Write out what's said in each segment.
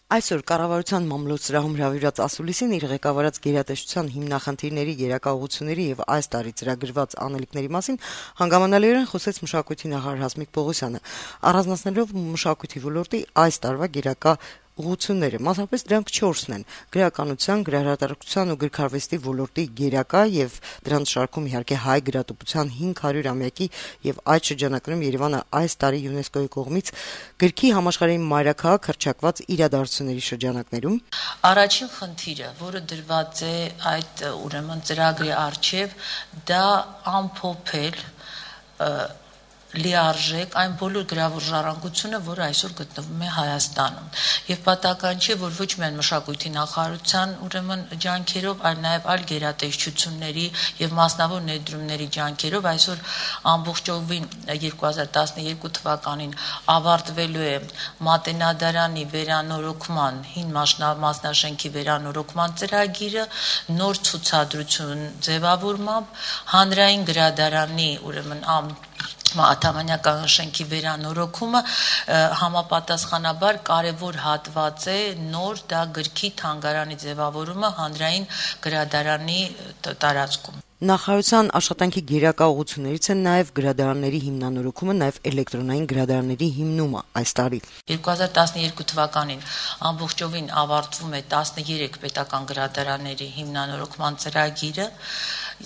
Այսօր կառավարության մամլոյ-սրահում հրավիրված ասուլիսին իր ղեկավարած գերատեսչության հիմնախնդիրների, գերակայությունների եւ այս տարի ծրագրված անելիքների մասին հանգամանալիորեն խոսեց մշակույթի նախարար Հասմիկ Պողոսյանը, առանձնացնելով մշակույթի ոլորտի այս տարվա գերակա ուղղությունները, մասնապես դրանք 4-ն են՝ գրականության, գրահրատարակության ու գրքարվեստի ոլորտի գերակա եւ դրանց շարքում իհարկե հայ գրատպության 500-ամյակի եւ այդ շրջանակներում Երևանը այս տարի ՅՈՒՆԵՍԿՕ-ի կողմից գրքի համաշխարհային մայրաքաղաք հռչակված իրադարձությունների շրջանակներում առաջին խնդիրը, որը դրված է այդ ուրեմն ծրագրի առջև, դա ամփոփել լիարժեք այն բոլոր գրավոր ժառանգությունը, որը այսօր գտնվում է Հայաստանում։ Եվ պատահական չէ, որ ոչ միայն մշակույթի նախարարության ուրեմն ջանքերով, այլ նաև այլ գերատեսչությունների եւ մասնավոր ներդրումների ջանքերով այսօր ամբողջովին 2012 թվականին ավարտվելու է Մատենադարանի վերանորոգման, հին մասնաշենքի վերանորոգման ծրագիրը, նոր ցուցադրություն ձևավորմամբ, հանրային գրադարանի ուրեմն Աթամանյական շենքի վերանորոգումը համապատասխանաբար կարևոր հատված է նոր դա գրքի թանգարանի ձևավորումը հանրային գրադարանի տարածքում։ Նախարարության աշխատանքի գերակա ուղղություններից են նաև գրադարանների հիմնանորոգումը, նաև էլեկտրոնային գրադարանների հիմնումը այս տարի։ 2012 թվականին ամբողջովին ավարտվում է 13 պետական գրադարանների հիմնանորոգման ծրագիրը։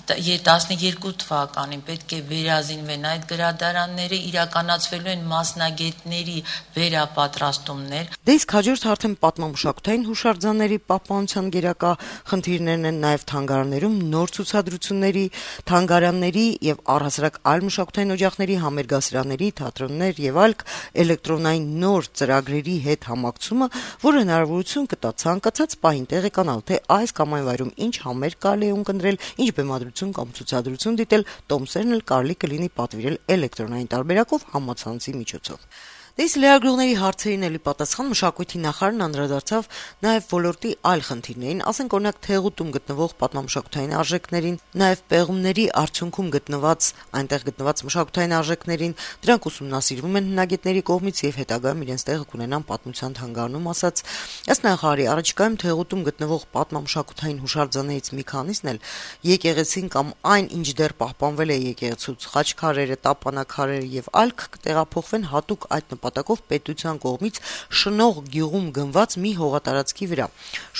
12 թվականին պետք է վերազինվեն այդ գրադարանները, իրականացվելու են մասնագետների վերապատրաստումներ։ Դե իսկ հաջորդ արդեն պատմամշակութային հուշարձանների պահպանության գերակա խնդիրներն են նաև թանգարաններում նոր ցուցադրությունների, թանգարանների եւ առհասարակ այլ մշակութային օջախների, համերգասրաների, թատրոններ եւ այլ էլեկտրոնային նոր ծրագրերի հետ համակցումը, որը հնարավորություն կտա ցանկացած պահին տեղեկանալ, թե այս կամ այն վայրում ինչ համերգ կարելի է ունկնդրել, ինչ բեմադրություն կամ ցուցադրություն դիտել, տոմսերն էլ կարելի կլինի պատվիրել էլեկտրոնային տարբերակով համացանցի միջոցով։ Դες լրագրողների հարցերին էլի պատասխան մշակույթի նախարարն անդրադարձավ նաև ոլորտի այլ խնդիրներին, ասենք օրինակ թեղուտում գտնվող պատմամշակութային արժեքներին, նաև պեղումների արդյունքում այնտեղ գտնված մշակութային արժեքներին, դրանք ուսումնասիրվում են հնագետների կողմից եւ հետագայում իրենց տեղը կունենան պատմության թանգարանում, ասաց։ Ըստ նախարարի, առաջիկայում թեղուտում գտնվող պատմամշակութային հուշարձաններից մի քանիսն էլ եկեղեցին կամ այն, ինչ դեռ պահպանվել է եկեղեցուց, խաչքարերը, տապանակարերը եւ այլ կտեղափոխվեն հատուկ այդ նպատակով պետության կողմից շնող գյուղում գնված մի հողատարածքի վրա։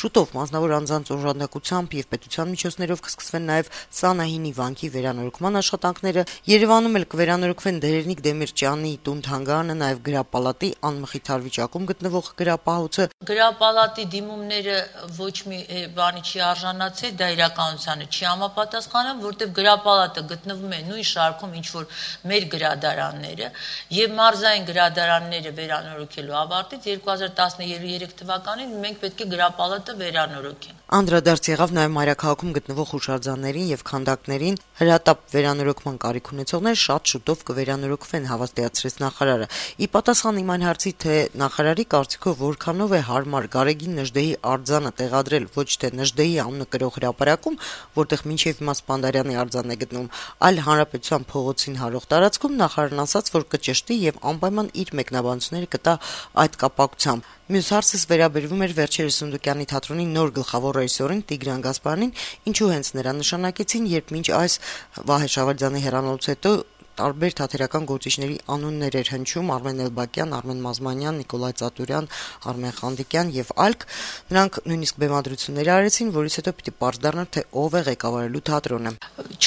Շուտով մասնավոր անձանց օժանդակությամբ եւ պետության միջոցներով կսկսվեն նաեւ Սանահինի վանքի վերանորոգման աշխատանքները։ Երևանում էլ կվերանորոգվեն Դերերնիկ Դեմիրճյանի տուն-թանգարանը, նաեւ Գրապալատի անմխիթար վիճակում գտնվող գրապահոցը։ Գրապալատի դիմումները ոչ մի բանի չի արժանացել, դա իրականությանը չի համապատասխանում, որտեղ գրապալատը գտնվում է նույն շարքում, ինչ որ մեր գրադարանները եւ մարզային գրադարանները վերանորոգելու ավարտից 2013 թվականին մենք պետք է գրապալատը վերանորոգենք։ Անդրադարձ եղավ նաև մայրաքաղաքում գտնվող հուշարձաններին եւ քանդակներին, հրատապ վերանորոգման կարիք ունեցողներ շատ շուտով կվերանորոգվեն, հավաստիացրեց նախարարը։ Ի պատասխան իմ այն հարցի, թե նախարարի կարծիքով որքանով է հարմար Գարեգին Նժդեհի արձանը տեղադրել ոչ թե Նժդեհի անունը կրող հրապարակում, որտեղ մինչև հիմա Սպանդարյանի արձանն է գտնվում, այլ Հանրապետության փողոցին հարող տարածքում, նախարարն ասաց, որ կճշտի եւ անպայման իր մեկնաբանությունները կտա այդ կապակցությամբ։ Մյուս հարցս վերաբերվում էր վերջերս Սունդուկյանի թատրոնի նոր գլխավոր ռեժիսորին Տիգրան Գասպարյանին, ինչու հենց նրան նշանակեցին, երբ մինչ այս Վահե Շավարդյանի հեռանալուց հետո տարբեր թատերական գործիչների անուններ էր հնչում՝ Արմեն Էլբակյան, Արմեն Մազմանյան, Նիկոլայ Ծատուրյան, Արմեն Խանդիկյան եւ այլք։ Նրանք նույնիսկ բեմադրություններ արեցին, որից հետո պիտի պարզ դառնար, թե ով է ղեկավարելու թատրոնը։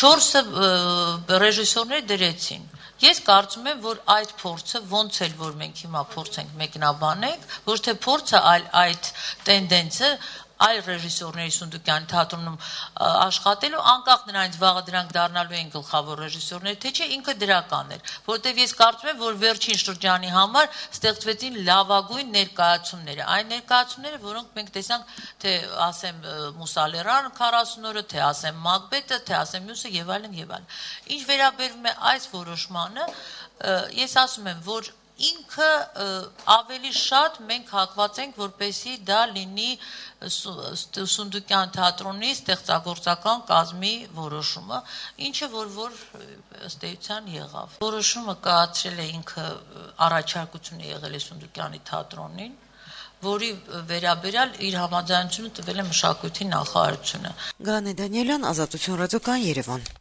4 ռեժիսորներ դրեցին։ Ես կարծում եմ, որ այդ փորձը ոնց էլ որ մենք հիմա փորձենք մեկնաբանենք, ոչ թե փորձը, այլ այդ տենդենսը այլ ռեժիսորների Սունդուկյանի թատրոնում աշխատելու, անկախ նրանից վաղը դրանք դառնալու են գլխավոր ռեժիսորներ, թե չէ, ինքը դրական էր, որտեղ ես կարծում եմ, որ վերջին շրջանի համար ստեղծվեցին լավագույն ներկայացումները, այն ներկայացումները, որոնք մենք տեսանք, թե ասեմ Մուսալերան 40 օրը, թե ասեմ Մակբեթը, թե ասեմ մյուսը եւ այլն եւ այլն։ Ինչ վերաբերում է այս որոշմանը, ես ասում եմ, որ ինքը ավելի շատ մենք հակված ենք, որպեսզի դա լինի Սունդուկյան թատրոնի ստեղծագործական կազմի որոշումը, ինչը որ ըստ էության եղավ։ Որոշումը կայացրել է ինքը, առաջարկությունը եղել է Սունդուկյանի թատրոնին, որի վերաբերյալ իր համաձայնությունը տվել է մշակույթի նախարարությունը։ Գանե Դանիելյան, Ազատություն ռադիոկան, Երևան։